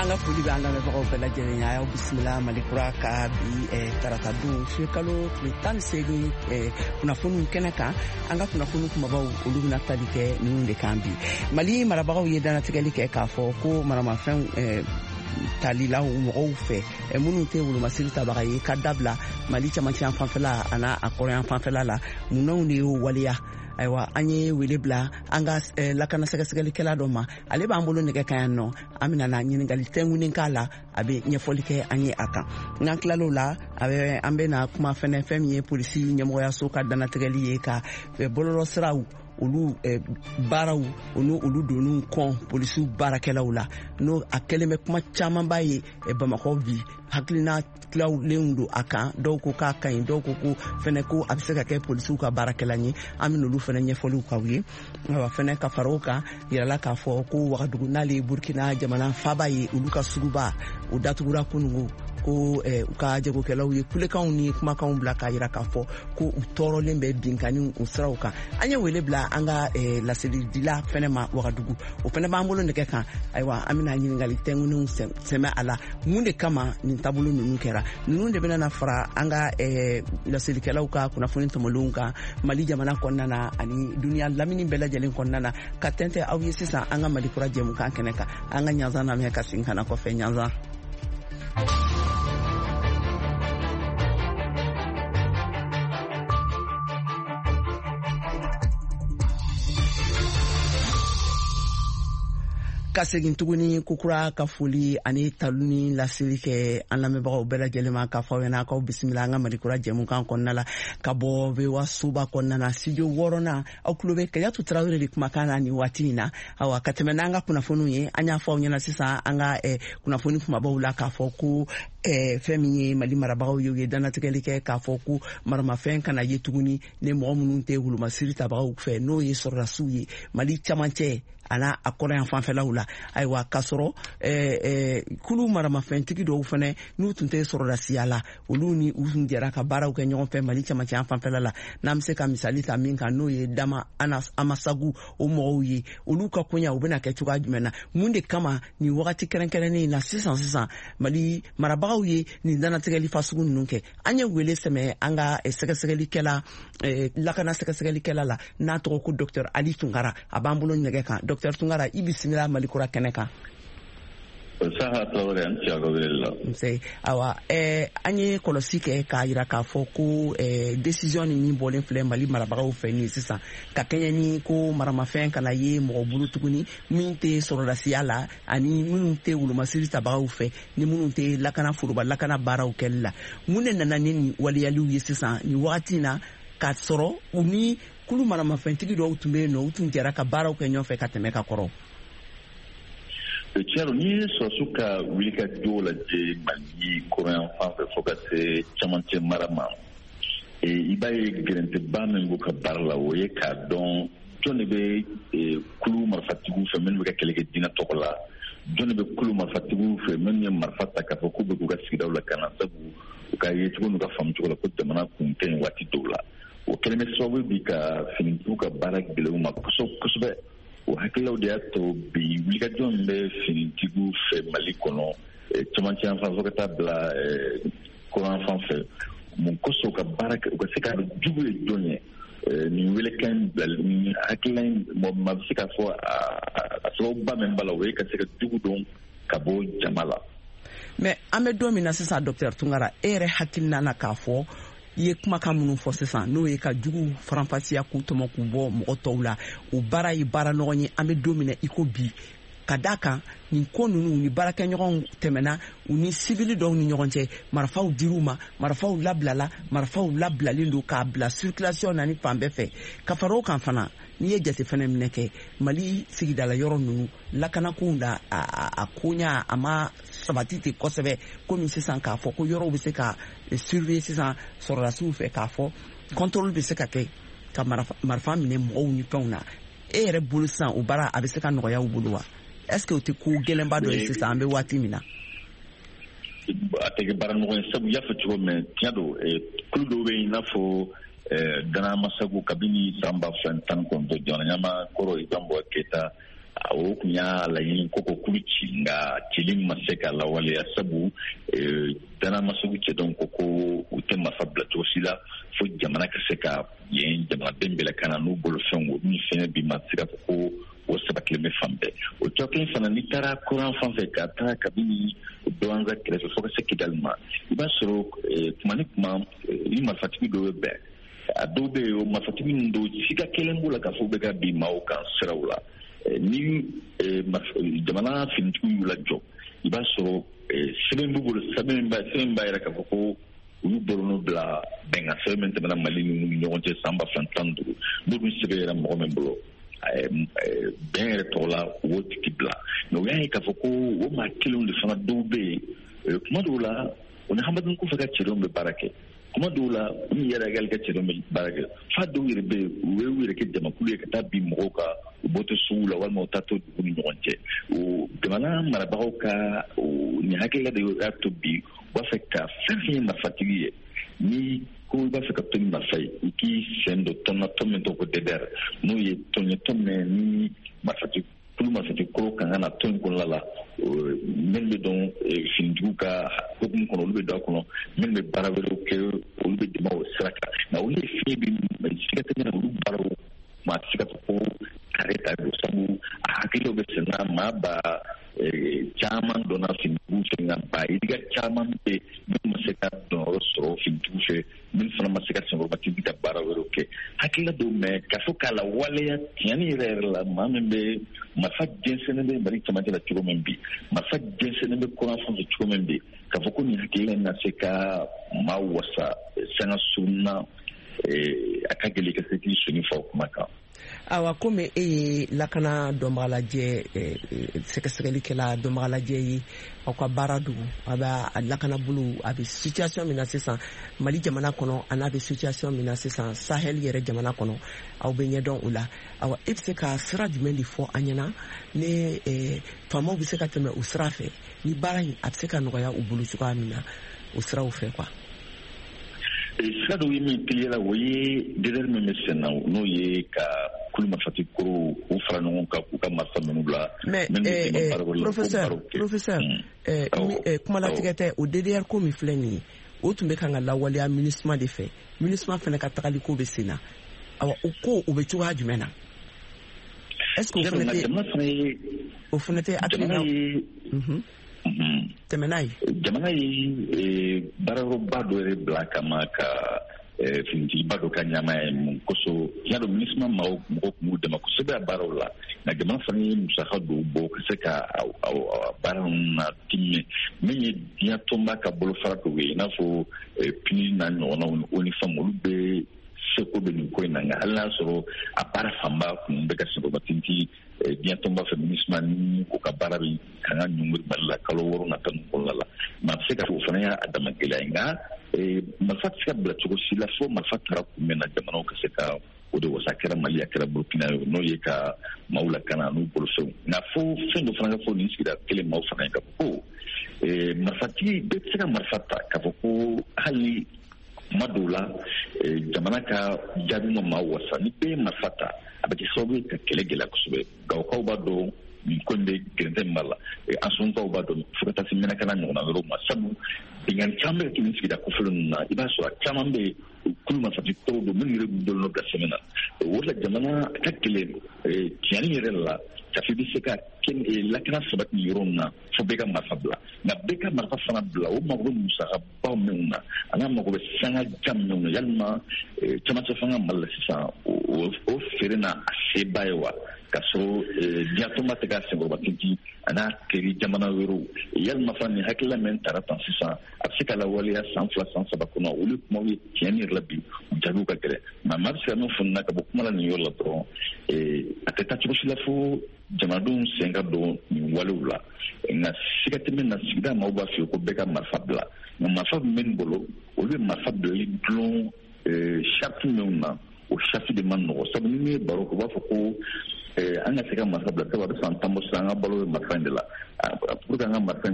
An ka foli bɛ an lamɛnbagaw bɛɛ lajɛlen ye. A y'aw bisimila Malikura ka bi tarata don sukalo tile 18 kunnafoniw kɛnɛ kan. An ka kunnafoni kumabaw olu bɛna tali kɛ ninnu de kan bi. Mali marabagaw ye dannatigɛli kɛ k'a fɔ ko maramafɛnw talilaw mɔgɔw fɛ minnu tɛ wolomasiri tabaga ye ka dabila Mali camancɛ fanfɛla an'a a kɔrɔyan fanfɛla la. Munnaw de y'o waleya? Ayiwa, an ye wele bila an ka lakana sɛgɛsɛgɛlikɛla dɔ ma, ale b'an bolo nɛgɛ kan yan nɔ. An bɛna na ɲininkali tɛnkunnen k'a la, a bɛ ɲɛfɔli kɛ an ye a kan. N'an tilal'o la, an bɛna kuma fɛnɛ fɛn min ye polisi ɲɛmɔgɔyaso ka dannatigɛli ye ka bɔlɔlɔsiraw olu baaraw olu olu doniw kɔn polisiw baarakɛlaw la, n'o a kɛlen bɛ kuma camanba ye Bamakɔ bi. Hakilina tilawlenw don a kan, dɔw ko k'a ka ɲi, dɔw ko ko fɛnɛ ko a bɛ se ka kɛ polisiw ka baarakɛla ye. An bɛ n'olu fɛnɛ ɲɛfɔliw k'aw ye. Ayiwa, fɛnɛ ka fara o kan, yirala k'a fɔ ko Wagadugu, n'ale ye Burkina jamana faaba ye, olu ka suguba o datugura kunungo, ko u ka jagokɛlaw ye kulekanw ni kumakanw bila k'a yira k'a fɔ ko u tɔɔrɔlen bɛ binkanniw o siraw kan. An ye wele bila an ka laselidila fɛnɛ ma Wagadugu, o fɛnɛ b'an bolo nɛgɛ kan. Ayiwa, an bɛna ɲininkali tɛnkunnenw sɛmɛ a la, mun de kama nin taabolo ninnu kɛra. Ninnu de bɛna na fara an ka laselikɛlaw ka kunnafoni tɔmɔlenw kan Mali jamana kɔnɔna na ani duniya lamini bɛɛ lajɛlen kɔnɔna na, ka tɛntɛ aw ye sisan an ka Mali kura jɛmukan kɛnɛ kan. An ka ɲanzan lamɛn ka segin ka na kɔfɛ. Ɲanzan. Ka segin tuguni kokura ka foli ani talu ni laseli kɛ an lamɛnbagaw bɛɛ lajɛlen ma, k'a fɔ aw ɲɛna k'aw bisimila an ka Malikura jɛmukan kɔnɔna la ka bɔ VOA soba kɔnɔna na, studio wɔɔrɔnan. Aw tulo bɛ Kajatu Tarawele de kumakan na nin waati in na. Awa, ka tɛmɛ n'an ka kunnafoniw ye, an y'a fɔ aw ɲɛna sisan an ka kunnafoni kumabaw la k'a fɔ ko fɛn min ye Mali marabagaw ye, u ye dannatigɛli kɛ k'a fɔ ko maramafɛn kana ye tuguni ni mɔgɔ minnu tɛ wolomasiri tabagaw fɛ, n'o ye sɔrɔdasiw ye Mali camancɛ ana a kɔrɔyan fanfɛlaw la. Ayiwa, k'a sɔrɔ kulu maramafɛntigi dɔw fɛnɛ n'u tun tɛ sɔrɔdasiya la, olu ni u tun jɛra ka baaraw kɛ ɲɔgɔn fɛ Mali camancɛ fanfɛla la. N'an bɛ se ka misali ta min kan, n'o ye Dama Amasagu o mɔgɔw ye, olu ka koɲa u bɛna kɛ cogoya jumɛn na? Mun de kama nin wagati kɛrɛnkɛrɛnnen in na sisan sisan Mali marabagaw ye nin dannatigɛli fasugu ninnu kɛ? An ye wele sɛmɛ an ka sɛgɛsɛgɛlikɛla, lakana sɛgɛsɛgɛlikɛla la, n'a tɔgɔ ko Docteur Ali Tunkara, a b'an bolo nɛgɛ kan. Docteur Tunkara, i bisimila Mali kura kɛnɛ kan. Saha Traoré, an ci a ka wele la. Nse. Awa, an ye kɔlɔsi kɛ k'a yira k'a fɔ ko décision ni min bɔlen filɛ Mali marabagaw fɛ nin sisan, ka kɛɲɛ ni ko maramafɛn kana ye mɔgɔ bolo tuguni min tɛ sɔrɔdasiya la ani minnu tɛ wolomasiri tabagaw fɛ ni minnu tɛ lakana, foroba lakana baaraw kɛli la. Mun de nana ni nin waleyaliw ye sisan nin wagati in na, k'a sɔrɔ u ni kulu maramafɛntigi dɔw tun bɛ yen nɔ, u tun jɛra ka baaraw kɛ ɲɔgɔn fɛ ka tɛmɛ ka kɔrɔ? Tiɲɛ don, n'i ye sɔrɔdasiw ka wulikajɔ lajɛ Mali kɔrɔyan fan fɛ fo ka se camancɛ mara ma, i b'a ye gɛrɛntɛba min b'u ka baara la, o ye k'a dɔn jɔn de bɛ kulu marifatigiw fɛ minnu bɛ ka kɛlɛ kɛ diinɛ tɔgɔ la, jɔn de bɛ kulu marifatigiw fɛ minnu ye marifa ta k'a fɔ k'u bɛ k'u ka sigidaw lakana, sabu u ka yecogo n'u ka faamucogo la ko jamana kun tɛ yen waati dɔw la. O kɛlen bɛ sababu bi ka finitigiw ka baara gɛlɛya u ma kosɛbɛ kosɛbɛ. O hakililaw de y'a to bi wulikajɔ min bɛ finitigiw fɛ Mali kɔnɔ, camancɛ yan fan fo ka taa bila kɔrɔn fan fɛ, mun kosɔn u ka baara kɛ, u ka se ka jugu ye jɔn ye. Nin welekan bilali nin hakilila in, mɔgɔ maa bɛ se k'a fɔ a sababuba min b'a la, o ye ka se ka jugu dɔn ka bɔ jama la. Mais an bɛ don min na sisan, docteur Tunkara, e yɛrɛ hakilina na k'a fɔ i ye kumakan minnu fɔ sisan, n'o ye ka jugu faranfasiya k'u tɔmɔ k'u bɔ mɔgɔ tɔw la, o baara ye baara nɔgɔn ye an bɛ don min na i ko bi, ka da kan nin ko ninnu ni baarakɛɲɔgɔnw tɛmɛna u ni sibili dɔw ni ɲɔgɔn cɛ, marifaw dir'u ma, marifaw labilala, marifaw labilalen don k'a bila circulation na ni fan bɛɛ fɛ. Ka fara o kan fana, n'i ye jate fɛnɛ minɛ kɛ Mali sigidala yɔrɔ ninnu lakanakow la, a koɲa a ma sabati ten kosɛbɛ, komi sisan k'a fɔ ko yɔrɔw bɛ se ka surveiller sisan sɔrɔdasiw fɛ, k'a fɔ contrôle bɛ se ka kɛ ka marifa minɛ mɔgɔw ni fɛnw na. E yɛrɛ bolo sisan, o baara a bɛ se ka nɔgɔya u bolo wa? Est ce que o tɛ ko gɛlɛnba dɔ ye sisan an bɛ waati min na? A tɛ kɛ baara nɔgɔ ye, sabu i y'a fɔ cogo min, tiɲɛ don, kulu dɔw bɛ yen i n'a fɔ Dana Amasagu, kabini san 2019, jamana ɲɛmaa kɔrɔ Ibrahim Boubacar Keita, o tun y'a laɲini ko kulu ci, nka ci sabatili ma se ka lawaleya, sabu Danamaseku cɛdenw ko u tɛ marifa bila cogo si la fo jamana ka se ka yen jamanaden bɛɛ lakana n'u bolofɛnw. O min fɛnɛ bi, ma se ka fɔ ko o sabatilen bɛ fan bɛɛ. O tɔ kelen fana, n'i taara kɔrɔn fan fɛ, ka taa kabini Douentza kɛrɛfɛ fo ka se Kidali ma, i b'a sɔrɔ kuma ni kuma ni marifatigi dɔw bɛ bɛn. A dɔw bɛ yen, o marifatigi ninnu dɔw, siga kelen b'u la k'a fɔ u bɛ ka bin maaw kan siraw la. Ni jamana finitigiw y'u lajɔ, i b'a sɔrɔ sɛbɛn b'u bolo, sɛbɛn b'a yira k'a fɔ ko u y'u bolonɔ bila bɛnkan sɛbɛn min tɛmɛna Mali ni ɲɔgɔn cɛ san 2015. N'olu sɛbɛn yɛrɛ mɔgɔ min bolo, bɛn yɛrɛ tɔgɔ la, u b'o tigi bila. Mais u y'a ye k'a fɔ ko o maa kelenw de fana, dɔw bɛ yen, kuma dɔw la u ni Hamadou Koufa ka cɛdenw bɛ baara kɛ, kuma dɔw la u ni Iyad Ag Ghali ka cɛdenw bɛ baara kɛ, fa dɔw yɛrɛ bɛ yen, u bɛ u yɛrɛ kɛ jamakulu ye ka taa bin mɔgɔw kan u bɔtɔ sugu la walima u taa to dugu ni ɲɔgɔn cɛ. O jamana marabagaw ka nin hakilila de y'a to bi u b'a fɛ ka fɛn fɛn ye marifatigi ye, ni ko i b'a fɛ ka to ni marifa ye, i k'i sen don tɔn na, tɔn min tɔgɔ ko DDR, n'o ye tɔn ye, tɔn min ni marifatigi kulu marifatigi kɔrɔ kan ka na tɔn in kɔnɔna la. Minnu bɛ dɔn finitigiw ka hukumu kɔnɔ, olu bɛ don a kɔnɔ, minnu bɛ baara wɛrɛw kɛ, olu bɛ dɛmɛ o sira kan. Nka olu ye fiɲɛ bi siga tɛ min na, olu baaraw maa tɛ se ka fɔ ko tare ta don, sabu a hakiliw bɛ sen na. Maa ba caman donna finitigiw fɛ, nka ba yirika caman bɛ minnu ma se ka dɔnyɔrɔ sɔrɔ finitigiw fɛ, minnu fana ma se ka senkɔrɔmatindi ka baara wɛrɛw kɛ. Hakilila dɔw mɛ k'a fɔ k'a la waleya tiɲɛni yɛrɛ yɛrɛ la, maa min bɛ marifa jɛnsɛnnen bɛ Mali cɛmancɛ la cogo min bi, marifa jɛnsɛnnen bɛ kɔrɔn fan fɛ cogo min bi, k'a fɔ ko nin hakilila in na se ka maa wasa sanga surun na, a ka gɛlɛn ka se k'i sɔnni fɔ o kuma kan. Awa, komi e ye lakana dɔnbagalajɛ, sɛgɛsɛgɛlikɛla dɔnbagalajɛ ye, aw ka baara don a b'a lakana bolo, a bɛ situation min na sisan Mali jamana kɔnɔ, a n'a bɛ situation min na sisan Sahel yɛrɛ jamana kɔnɔ, aw bɛ ɲɛdɔn o la. Awa, e bɛ se ka sira jumɛn de fɔ an ɲɛna ni faamaw bɛ se ka tɛmɛ o sira fɛ, ni baara in a bɛ se ka nɔgɔya u bolo cogoya min na o siraw fɛ quoi? Sira dɔw ye min teliya la, o ye DDR min bɛ sen na, n'o ye ka kulu marifatigi kɔrɔw k'u fara ɲɔgɔn kan, k'u ka marifa ninnu bila. Mais professeur, kumalatigɛ tɛ. O DDR ko min filɛ nin ye, o tun bɛ kan ka lawaleya MINUSMA de fɛ. MINUSMA fana ka tagali ko bɛ sen na. Awa, o ko o bɛ cogoya jumɛn na? Est ce que o fana tɛ hakilina tɛmɛ n'a ye? Jamana ye baarayɔrɔba dɔ yɛrɛ bila kama ka finitigiba dɔ ka ɲɛmaa ye. Mun kosɔn? Y'a dɔn, MINUSMA mɔgɔw tun b'u dɛmɛ kosɛbɛ a baaraw la, nka jamana fana ye musaka dɔw bɔ ka se ka baara ninnu na timinɛ, min ye diɲɛ tɔnba ka bolofara dɔw ye, i n'a fɔ PNUD n'a ɲɔgɔnnaw ni ONU Femmes. Olu bɛ seko bɛ nin ko in na, nka hali n'a sɔrɔ a baara fanba kun bɛ ka senkɔrɔmatintin diɲɛ tɔnba fɛ, MINUSMA ni o ka baara bɛ kan ka ɲɔngiri Mali la kalo 6 nata ninnu kɔnɔna la. Maa bɛ se ka fɔ o fana y'a dama gɛlɛya ye, nka marifa tɛ se ka bila cogo si la fo marifa taara kun min na, jamanaw ka se ka o de wasa. A kɛra Mali, a kɛra Burukina ye, n'o ye ka maaw lakana n'u bolofɛnw. Nka fo fɛn dɔ fana ka fɔ nin sigida kelen maaw fana ye, k'a fɔ ko marifatigi bɛɛ tɛ se ka marifa ta, k'a fɔ ko hali kuma dɔw la jamana ka jaabi ma maa wasa, ni bɛɛ ye marifa ta, a bɛ kɛ sababu ye ka kɛlɛ gɛlɛya kosɛbɛ. Gawokaw b'a dɔn nin ko in bɛ gɛrɛntɛ min b'a la, Ansɔnkaw b'a dɔn, fo ka taa se Mɛnakala ɲɔgɔnna wɛrɛw ma, sabu binkanni caman bɛ kɛ nin sigida kofɔlen ninnu na. I b'a sɔrɔ a caman bɛ yen, kulu marifatigi kɔrɔw don minnu yɛrɛ b'u bolonɔ bila sɛbɛn na. O de la jamana ka gɛlɛn tiɲɛni yɛrɛ la ka fɔ i bɛ se ka lakana sabati nin yɔrɔ ninnu na fo bɛɛ ka marifa bila. Nka bɛɛ ka marifa fana bila, o mago bɛ musakabaw minnu na, a n'a mago bɛ sanga jan minnu na, yalima camancɛ fanga Mali la sisan o feere n'a a seba ye wa, ka sɔrɔ diɲɛ tɔnba tɛ ka senkɔrɔmatintin a n'a teri jamana wɛrɛw? Yalima fana nin hakilila min tara tan sisan, a bɛ se ka lawaleya san 2 san 3 kɔnɔ? Olu kumaw ye tiɲɛni yɛrɛ la bi, u jaabiw ka gɛlɛn. Nka maa bɛ se ka min fɔ na ka bɔ kuma la nin yɔrɔ la dɔrɔn, a tɛ taa cogo si la fo jamanadenw sen ka don nin walew la. Nka siga tɛ min na, sigida maaw b'a f'i ye ko bɛɛ ka marifa bila, nka marifa bɛ min bolo, olu bɛ marifa bilali dulon sariti minnu na, o sariti de man nɔgɔ, sabu ni min ye baro kɛ, u b'a fɔ ko an ka se ka marifa bila, sabu a bɛ san 10 bɔ sisan, an ka balo bɛ marifa in de la, pour que an ka marifa